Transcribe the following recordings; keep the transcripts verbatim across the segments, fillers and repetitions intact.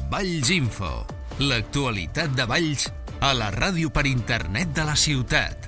Valls Info, l'actualitat de Valls a la ràdio per internet de la ciutat.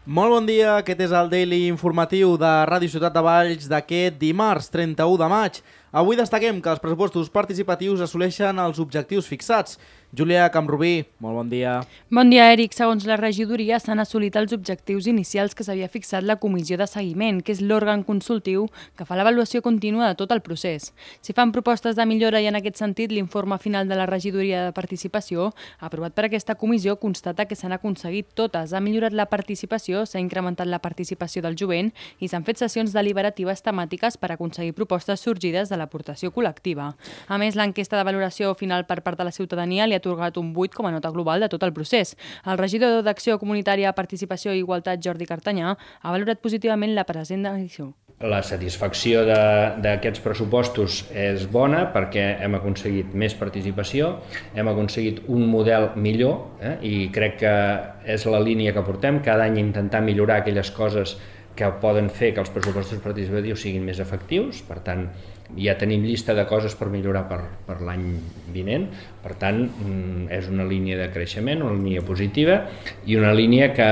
Molt bon dia, aquest és el Daily informatiu de Ràdio Ciutat de Valls d'aquest dimarts trenta-u de maig. Avui destaquem que els pressupostos participatius assoleixen els objectius fixats. Júlia Camprubí, molt bon dia. Bon dia, Eric. Segons la regidoria, s'han assolit els objectius inicials que s'havia fixat la Comissió de Seguiment, que és l'òrgan consultiu que fa l'avaluació contínua de tot el procés. Si fan propostes de millora i en aquest sentit l'informe final de la regidoria de participació, aprovat per aquesta comissió, constata que s'han aconseguit totes. Ha millorat la participació, s'ha incrementat la participació del jovent i s'han fet sessions deliberatives temàtiques per aconseguir propostes sorgides de l'aportació col·lectiva. A més, l'enquesta de valoració final per part de la ciutadania li ha atorgat un vuit com a nota global de tot el procés. El regidor d'Acció Comunitària, Participació i Igualtat, Jordi Cartanyà, ha valorat positivament la present edició. La satisfacció d'aquests pressupostos és bona perquè hem aconseguit més participació, hem aconseguit un model millor eh? i crec que és la línia que portem, cada any intentar millorar aquelles coses que poden fer que els pressupostos participatius siguin més efectius. Per tant, ja tenim llista de coses per millorar per, per l'any vinent. Per tant, és una línia de creixement, una línia positiva i una línia que,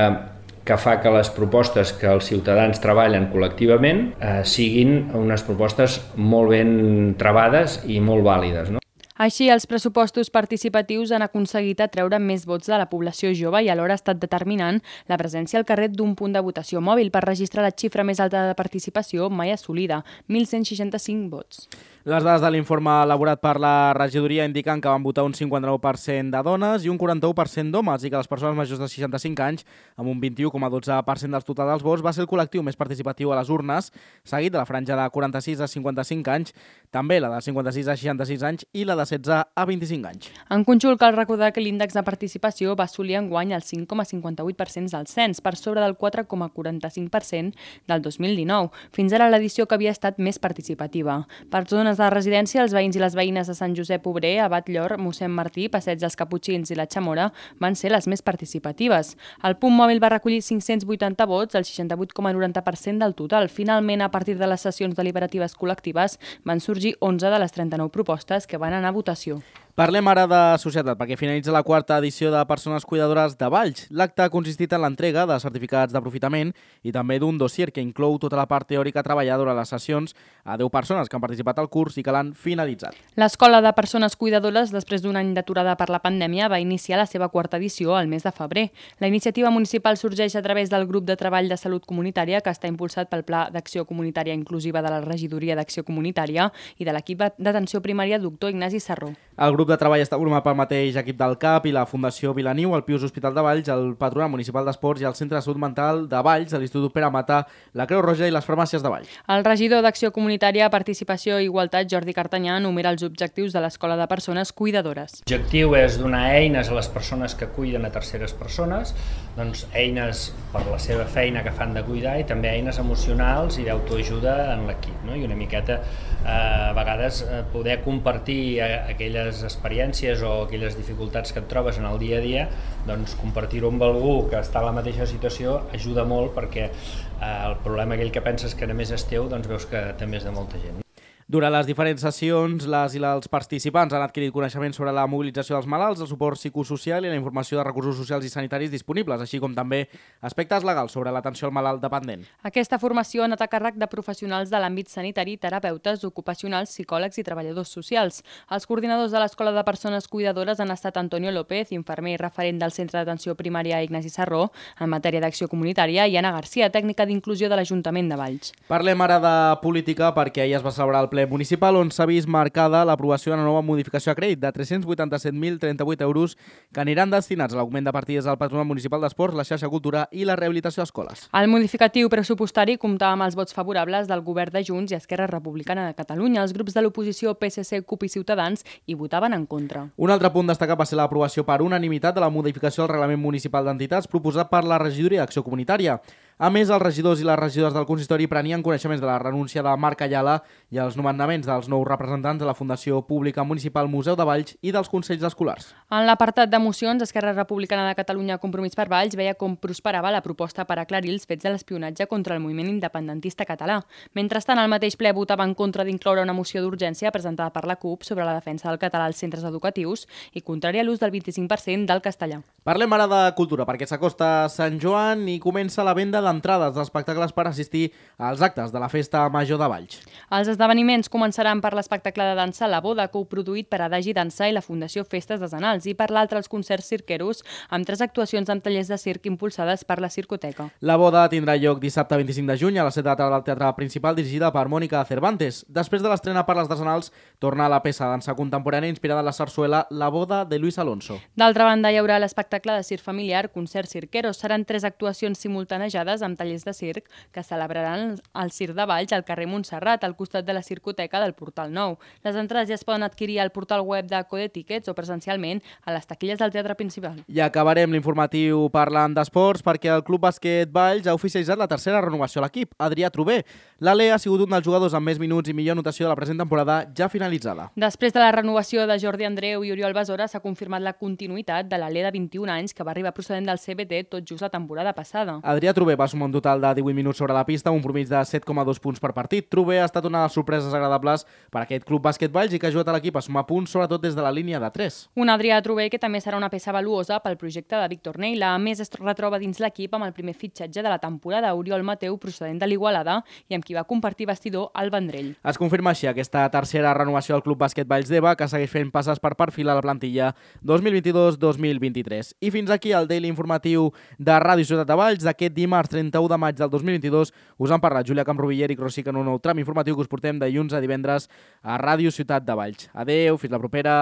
que fa que les propostes que els ciutadans treballen col·lectivament eh, siguin unes propostes molt ben trebades i molt vàlides, no? Així, els pressupostos participatius han aconseguit atreure més vots de la població jove i alhora ha estat determinant la presència al carrer d'un punt de votació mòbil per registrar la xifra més alta de participació mai assolida, mil cent seixanta-cinc vots. Les dades de l'informe elaborat per la regidoria indiquen que van votar un cinquanta-nou per cent de dones i un quaranta-u per cent d'homes i que les persones majors de seixanta-cinc anys, amb un vint-i-u coma dotze per cent dels total dels vots, va ser el col·lectiu més participatiu a les urnes, seguit de la franja de quaranta-sis a cinquanta-cinc anys, també la de cinquanta-sis a seixanta-sis anys i la de setze a vint-i-cinc anys. En conjunt, cal recordar que l'índex de participació va assolir enguany el cinc coma cinquanta-vuit per cent del cens, per sobre del quatre coma quaranta-cinc per cent del dos mil dinou, fins ara l'edició que havia estat més participativa. Per zones de residència, els veïns i les veïnes de Sant Josep Obrer, Abat Llor, Mossèn Martí, Passeig dels Caputxins i la Chamora van ser les més participatives. El punt mòbil va recollir cinc-cents vuitanta vots, el seixanta-vuit coma noranta per cent del total. Finalment, a partir de les sessions deliberatives col·lectives, van sorgir onze de les trenta-nou propostes que van anar a votació. Parlem ara de societat, perquè finalitza la quarta edició de Persones Cuidadores de Valls. L'acte ha consistit en l'entrega de certificats d'aprofitament i també d'un dossier que inclou tota la part teòrica treballada durant les sessions a deu persones que han participat al curs i que l'han finalitzat. L'Escola de Persones Cuidadores, després d'un any d'aturada per la pandèmia, va iniciar la seva quarta edició al mes de febrer. La iniciativa municipal sorgeix a través del grup de treball de salut comunitària que està impulsat pel Pla d'Acció Comunitària Inclusiva de la Regidoria d'Acció Comunitària i de l'equip d'atenció primària doctor Ignasi Sarró. El grup de treball està format pel mateix equip del C A P i la Fundació Vilaniu, el Pius Hospital de Valls, el Patronat Municipal d'Esports i el Centre de Salut Mental de Valls, l'Institut Pere Mata, la Creu Roja i les farmàcies de Valls. El regidor d'Acció Comunitària, Participació i Igualtat, Jordi Cartanyà, enumera els objectius de l'Escola de Persones Cuidadores. L'objectiu és donar eines a les persones que cuiden a terceres persones, doncs eines per la seva feina que fan de cuidar i també eines emocionals i d'autoajuda en l'equip, no? I una miqueta eh, a vegades eh, poder compartir eh, aquelles experiències o aquelles dificultats que et trobes en el dia a dia, doncs compartir-ho amb algú que està en la mateixa situació ajuda molt perquè eh, el problema aquell que penses que només és teu, doncs veus que també és de molta gent. Durant les diferents sessions, les i els participants han adquirit coneixements sobre la mobilització dels malalts, el suport psicosocial i la informació de recursos socials i sanitaris disponibles, així com també aspectes legals sobre l'atenció al malalt dependent. Aquesta formació ha anat a càrrec de professionals de l'àmbit sanitari, terapeutes, ocupacionals, psicòlegs i treballadors socials. Els coordinadors de l'Escola de Persones Cuidadores han estat Antonio López, infermer i referent del Centre d'Atenció Primària Ignasi Sarró, en matèria d'acció comunitària, i Anna Garcia, tècnica d'inclusió de l'Ajuntament de Valls. Parlem ara de política perquè ahir es va celebrar el ple municipal on s'ha vist marcada l'aprovació d'una nova modificació a crèdit de tres-cents vuitanta-set mil trenta-vuit euros que aniran destinats a l'augment de partides del Patronat Municipal d'Esports, la xarxa cultura i la rehabilitació d'escoles. El modificatiu pressupostari comptava amb els vots favorables del govern de Junts i Esquerra Republicana de Catalunya. Els grups de l'oposició P S C, CUP i Ciutadans hi votaven en contra. Un altre punt destacat va ser l'aprovació per unanimitat de la modificació del reglament municipal d'entitats proposat per la regidoria d'Acció Comunitària. A més, els regidors i les regidores del consistori prenien coneixements de la renúncia de Marc Ayala i els nomenaments dels nous representants de la Fundació Pública Municipal Museu de Valls i dels Consells Escolars. En l'apartat de mocions, Esquerra Republicana de Catalunya Compromís per Valls veia com prosperava la proposta per aclarir els fets de l'espionatge contra el moviment independentista català. Mentrestant, el mateix ple votava en contra d'incloure una moció d'urgència presentada per la CUP sobre la defensa del català als centres educatius i contrària a l'ús del vint-i-cinc per cent del castellà. Parlem ara de cultura, perquè s'acosta Sant Joan i comença la venda d'entrades d'espectacles per assistir als actes de la Festa Major de Valls. Els esdeveniments començaran per l'espectacle de dansa La Boda, coproduït per Adagi Dansa i la Fundació Festes de Zanals, i per l'altre els concerts cirqueros, amb tres actuacions amb tallers de circ impulsades per la Circoteca. La Boda tindrà lloc dissabte vint-i-cinc de juny a la set de la tarda del Teatre Principal, dirigida per Mònica Cervantes. Després de l'estrena per les de Zanals, torna a la peça de dansa contemporània inspirada en la sarsuela La Boda de Luis Alonso. D'altra banda, hi haurà l'espectacle de circ familiar, concerts cirqueros. Seran tres actuacions simultanejades amb tallers de circ que celebraran el Circ de Valls al carrer Montserrat, al costat de la Circoteca del Portal Nou. Les entrades ja es poden adquirir al portal web de Code Tickets o presencialment a les taquilles del Teatre Principal. I acabarem l'informatiu parlant d'esports perquè el Club Bàsquet Valls ha oficialitzat la tercera renovació a l'equip, Adrià Trober. L'Ale ha sigut un dels jugadors amb més minuts i millor notació de la present temporada ja finalitzada. Després de la renovació de Jordi Andreu i Oriol Besora, s'ha confirmat la continuïtat de l'Ale de vint-i-un anys que va arribar procedent del C B T tot just la temporada passada. Adrià Trober va sumar un total de divuit minuts sobre la pista, un promís de set coma dos punts per partit. Trober ha estat una de les sorpreses agradables per aquest Club Bàsquet Valls i que ha ajudat a l'equip a sumar punts, sobretot des de la línia de tres. Un Adrià Trober que també serà una peça valuosa pel projecte de Víctor Neila. A més, es retroba dins l'equip amb el primer fitxatge de la temporada, Oriol Mateu, procedent de l'Igualada, i amb qui va compartir vestidor al Vendrell. Es confirma així aquesta tercera renovació del Club Bàsquet Valls d'Eva, que segueix fent passes per perfilar la plantilla dos mil vint-i-dos dos mil vint-i-tres. I fins aquí el Daily Informatiu de Ràdio Ciutat de Valls d'aquest dimarts trenta-u de maig del dos mil vint-i-dos. Us han parlat Júlia Camproví i Eric Rosic en un nou tram informatiu que us portem dilluns a divendres a Ràdio Ciutat de Valls. Adeu, fins la propera.